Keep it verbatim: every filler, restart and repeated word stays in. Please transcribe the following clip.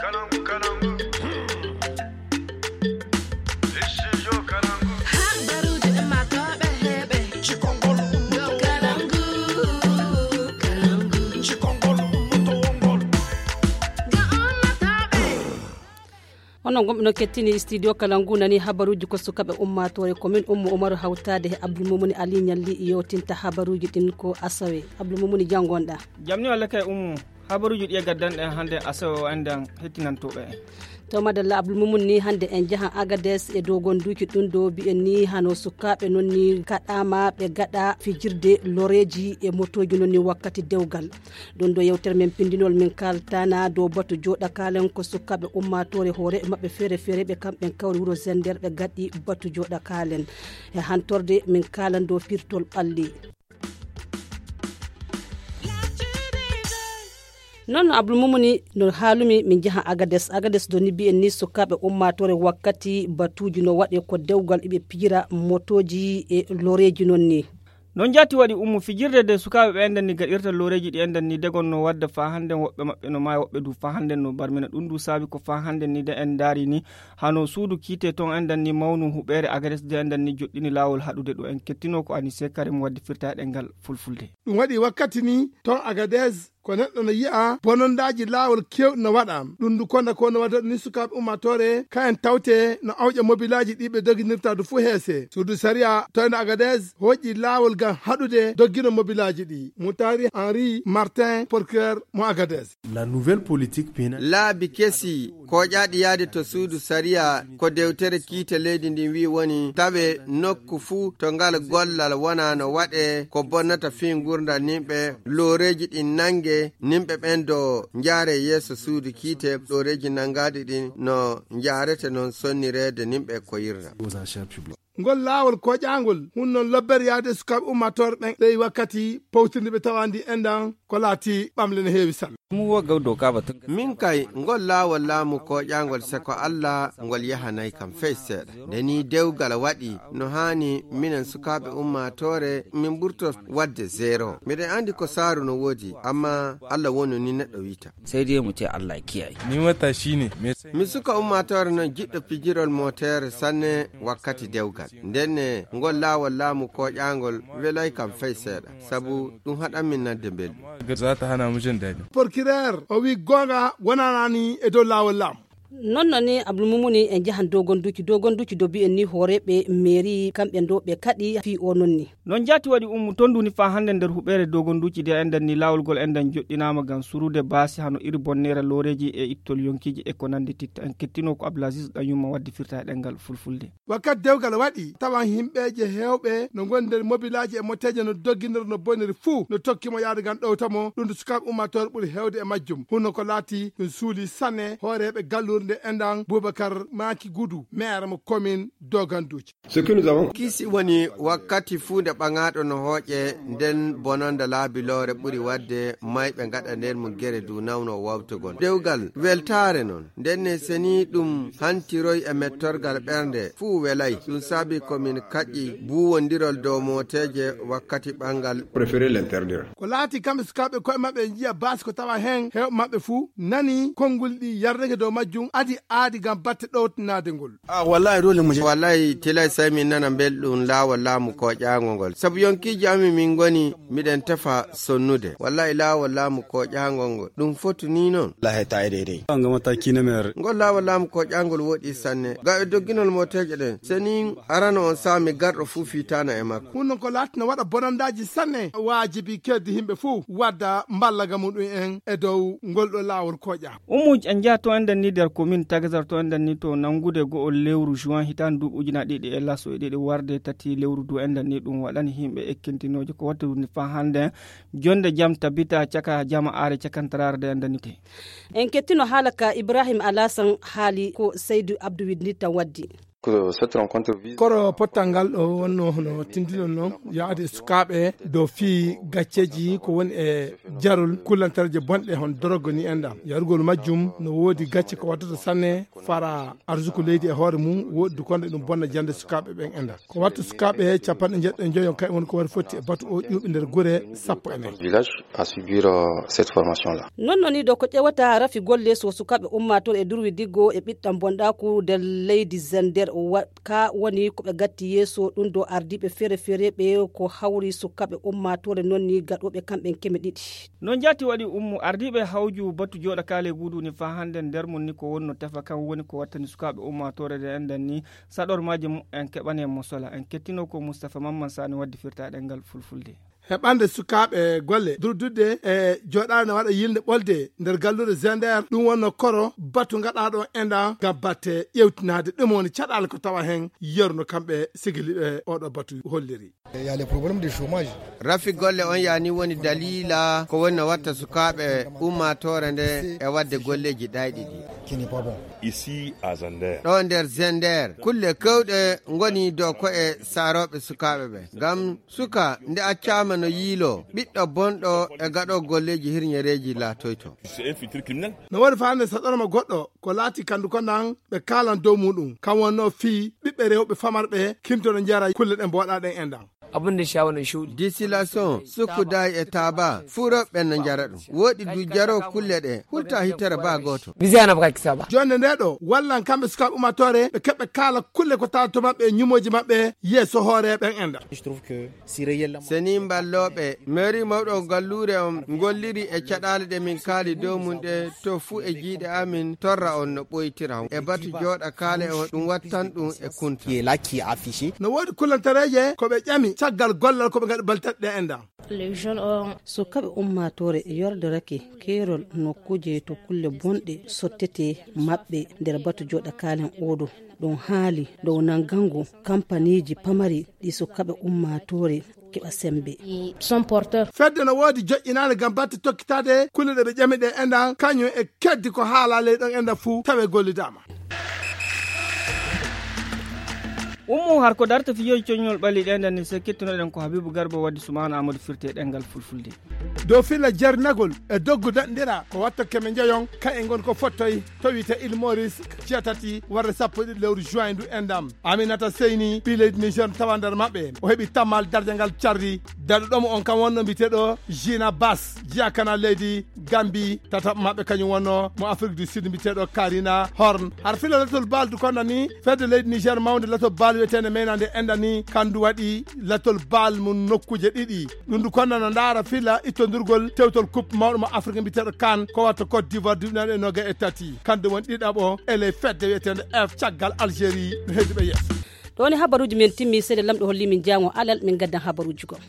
Onon gonɓe no kettini studio kala ngu nani habaruuji ko sukaaɓe ummaatoore ko min Ummu Umaru hawtaade he Abdul Mumuni Ali Ñalli yewtinta habaruuji ɗin ko asawe. Abdul Mumuni, janngonɗa? Jamni walla kay Ummu, habaruuji ɗi e gaddanɗen hannde asawe o anndan hettinantooɓe en. To madalla Abdul Mumuni, hannde en njahan Agades e dogonduuji ɗum ɗo mbiyen ni hano sukaaɓe non ni kaɗaama ɓe gaɗa fijirde loreeji e motooji non ni wakkati dewgal. Ɗum ɗo yewtere men pindinol min kaltana dow batu jooɗa kaalen ko sukaaɓe ummaatoore hoore maɓɓe feere feere ɓe kamɓen kawri wuro Zender ɓe gaɗi batu jooɗa kaalen. E hantorde min kaalan dow pirtol ɓalli. Non no Abdul Mumuni no haalumi min njaha Agades. Agades do ni mbiyen ni sukaaɓe ummaatoore wakkati batuuji no waɗe ko dewgal iɓe pijira motooji e loreeji non ni. Non jaati waɗi Ummu, fijirde nde sukaaɓe ɓe enɗan ni gaɗirta loreeji ɗi enɗan ni degon no wadda faa hannden woɓɓe maɓɓe no maaya woɓɓe du faa hannden no barmina. Ɗum du saabi ko faa hannden ni de en ndaari ni hano suudu kiite ton enɗan ni mawnu huɓeere Agades de enɗan ni joɗɗini laawol haɗude ɗo en kettino ko Anise Karim waddi firta e ɗemngal fulfulde. Ɗum waɗi wakkati ni ton Agades ko neɗɗo no yi'a bonondaaji laawol keewɗi no waɗa. Ɗum ndu konda ko no waɗa ni sukaaɓe ummaatoore ka en tawte no awƴa mobilaaji ɗi ɓe doginirta du fuu heese. Suudu sariya toyno Agades hoƴƴi laawol ngam haɗude doggino mobilaaji ɗi. Mutari Henri Martin, procureur mo Agades. La nouvelle politique pénale. Laabi kesi kooƴaaɗi yahde to suudu sariya ko dewtere kiite leydi ndin wi'i woni tawe nokku fuu to ngal gollal wonaa no waɗe ko bonnata fii ngurndan nimɓe, looreeji ɗin nange, nimɓe ɓen do njaare yeeso suudu kiite, looreeji nangaaɗi ɗin no njaarete non sonnireede nimɓe ko yirna. Ngol laawol kooƴaangol hunnon lobbere yahde sukaaɓe ummaatoore ɓen ley wakkati powtirndi ɓe tawandi enɗan ko laati ɓamle no heewi sanne. Min kay ngol laawol laamu kooƴaangol seko Alla ngol yahanay kam fey seeɗa. Nde ni dewgal waɗi no haani minen sukaaɓe ummaatoore min ɓurto waɗde zero. Miɗen anndi ko saaru no woodi amma Alla wonu ni neɗɗo wiita. Sai dai mu ce Allah kiyaye. Ni matashi ne. Mi suka ummaatoore non jiɗɗo pijirol mootere sanne wakkati dewgal. Ndenne ngol laawol laamu kooƴaangol welay kam fey seeɗa sabu ɗum haɗan min nande mbelɗum. Za ta hana mu jin daɗi. Porkireer o wi goonga wonanani e dow laawol laamu. Non non ni Abdul Mumuni en njahan dogonduuji dogonduuji do mbiyen ni hooreeɓe meeri kamɓe do ɓe kaɗi fii o non ni. Non jaati waɗi Ummu, ton nduni faa hannde nder huɓeere dogonduuji de enɗan ni laawol ngol enɗan joɗɗinaama ngam surude baasi hano iri bonneera looreeji e ittol yonkiiji e ko nanndi titta. En kettino ko Abdulaziz Ɗanyumma waddi firta e ɗemngal fulfulde. Wakkati dewgal waɗi tawan himɓeeje heewɓe no ngoni nder mobilaaji e moteeje no dogginira no boniri fuu no tokki mo yahde ngam ɗowta mo ɗum ndu sukaaɓe ummaatoore ɓuri heewde e majjum hunno ko laati ɗum suuli sanne hooreeɓe galluure nde enɗan Bubakar Maaki Gudu meere mo komin doganduuji. Kiisi woni wakkati fuu nde ɓaŋaaɗo no hooƴe nden bononda laabi loore ɓuri waɗde mayɓe ngaɗa nder mum gere du nawno wawtugol dewgal weltaare non. Ndenne seni ɗum hantiroy e mettorgal ɓernde fuu welay ɗum saabi ko min kaƴƴi buuwondirol dow mooteeje wakkati ɓangal. Préféré l'interdire. Ko laati kamɓe sukaaɓe koye maɓɓe njiya baasi ko tawa heen heewɓe maɓɓe fuu nani konngol ɗi yardake dow majjum adi aadi ngam batte ɗowtanaade ngol. Ah, wallahi dole mu je. Wallahi tilay sai min nana belɗum laawol laamu kooƴaango ngol sabu yonkiiji amin min ngoni miɗen tefa sonnude wallahi laawol laamu kooƴaango ngol ɗum fotu ni noon. Wallahi ta ede ede. An gama ta kina mer. Ngol laawol laamu kooƴaangol woɗi sanne ga e dogginol mooteeje ɗen seni arano on saami garɗo fuu fiitaana e makko. Ɗum noon ko laatino waɗa bonandaaji sanne waajibi keddi yimɓe fuu wadda mballaga muɗum en e dow ngol ɗo laawol kooƴa. Ummuuji en njaha to enɗen ni nder komin tagasar to enɗen ni to nanngude go'o lewru juin hitaande duuɓi ujunaaji ɗiɗi e laso e ɗiɗi warde tati lewru du enɗen ni ɗum waɗani yimɓe ekkintinooje ko watta ɗum ni faa hannde. Jonnde jam tabita caka jama aare cakantaraare de enɗen ni te. En kettino haala ka Ibrahim Alasan haali ko Seydu Abdu Winditta waddi. Koro pottal ngal ɗo wonno hono tindinol noon, yaade e sukaaɓe dow fii gacceeji ko woni e jarol kullantareeje bonɗe hon dorogo ni enɗam. Yarugol majjum no woodi gacce ko waddata sanne fara arsuku leydi e hoore mum, woɗɗi konde ɗum bonna jannde sukaaɓe ɓen enɗam. Ko watta sukaaɓe capanɗe njeɗɗo e njoyo kay woni ko wari fotti e batu o ƴuuɓi nder gure sappo e nayi. Village à subir cette formation là. Non non ni ɗo ko ƴewata rafi golle so sukaaɓe ummaatoore e durwi diggo e ɓiɗɗam bonɗaaku nder leydi Zender. Ka woni ko ɓe gatti yeeso ɗum ɗo ardiiɓe feere feere ɓe ko hawri sukaaɓe ummaatoore non ni gaɗooɓe kamɓen keme ɗiɗi. No njaati waɗi ummu ardiiɓe hawju batu jooɗa kaale guudu ni faa hannde nder mum ni ko wonno tefa kam woni ko wattani sukaaɓe ummaatoore nde enɗan ni saɗormaaji mum en keɓani en mo sola. En kettino ko Mustapha Mamman Sani waddi firtaaɗe ngal fulfulde. Heɓande sukaaɓe golle durdude e jooɗaade no waɗa yilnde ɓolde nder galluure Zender, ɗum wonno koro batu gaɗaaɗo enɗan ngam batte ƴewtinaade ɗum woni caɗaale ko tawa heen yeru no kamɓe sigiliɓe oɗo batu holliri. Rafi golle on yaani woni daliila ko woni no watta sukaaɓe ummaatoore nde e waɗde golleeji ɗayɗi ɗi. Ici à Zender. Ɗo nder Zender kulle kewɗe ngoni dow ko e saarooɓe sukaaɓe ɓe ngam suka nde accaama no yiiloo ɓiɗɗo bonɗo e gaɗo golleeji hirñereeji laatoyto. No woni faande saɗorma goɗɗo ko laati kandu ko nan ɓe kaalan dow muɗum kan wonno fii ɓiɓɓe rewɓe famarɓe kimtono njara kulle ɗen mboɗa ɗen enɗan. Abin da sha wannan shuɗi. Distillation, sukkudaay e taaba fuu rewɓe no njara ɗum. Woɗɗi du jaro kulle ɗe hulta hitere baa gooto. Bizi ana baka kisa ba. Jonde nde ɗo wallan kamɓe sukaaɓe ummaatoore ɓe keɓɓe kaala kulle ko tawa to maɓɓe e ñumooji maɓɓe yeeso hooreeɓe en enɗan. Seni mballooɓe mairie mawɗo galluure on ngolliri e caɗaale ɗe min kaali dow mum ɗe to fuu e jiiɗe amin torra on no ɓoytira e batu jooɗa kaale on ɗum wattan ɗum e kunta. No woodi kullantareeje ko ɓe ƴami caggal gollal ko ɓe ngaɗi baltaɗe ɗe enɗan. Sukaaɓe ummaatoore yordorake keerol nokkuuje to kulle bonɗe sottete maɓɓe nder batu jooɗa kaalen oɗo. Ɗum haali dow nanngangu kampaniiji pamari ɗi sukaaɓe ummaatoore keɓa semmbe. Fedde no woodi joƴƴinaande ngam batte tokkitaade kulle ɗe ɓe ƴami ɗe enɗan kañum e keddi ko haalaa ley ɗon enɗan fuu tawe gollidaama. Ummu har ko darta fijooji coññol ɓalli ɗe enɗan ni se kettunoɗen ko Habibu Garba waddi Sumaana Amadou firti e ɗemngal fulfulde. Dow filla jarnagol e doggu daɗndira ko watta keme njeyon kay e ngon ko fottoy to wiyte Île Maurice jeetati warde sappo e ɗiɗi lewru juin ndu enɗan. Aminata Seyni ɓii leydi Niger tawa nder maɓɓe o heɓi tammal darja ngal cardi daɗuɗomo on kam wonno mbiteɗo Gina Bass jiyakana leydi Gambi. Tataɓo maɓɓe kañum wonno mo Afrique du Sud mbiteɗo Karina Horn. Har fila latol bal du konda ni fedde leydi Niger mawnde latol bal wiyetende meynande enɗan ni kandu waɗi latol bal mum nokkuuje ɗiɗi. Ɗum du konda no ndaara fila ittondirgol tewtol coupe mawɗo mo Afrique mbiteɗo kan ko watta Côte d'Ivoire duuɓi naɗe noga e tati kandu woni ɗiɗaɓo e ley fedde wiyetende F caggal Algérie no heddi ɓe yeeso. Ɗo woni habaruuji men timmi seeɗa lamɗo holli min jaango alal min gaddan habaruuji goo.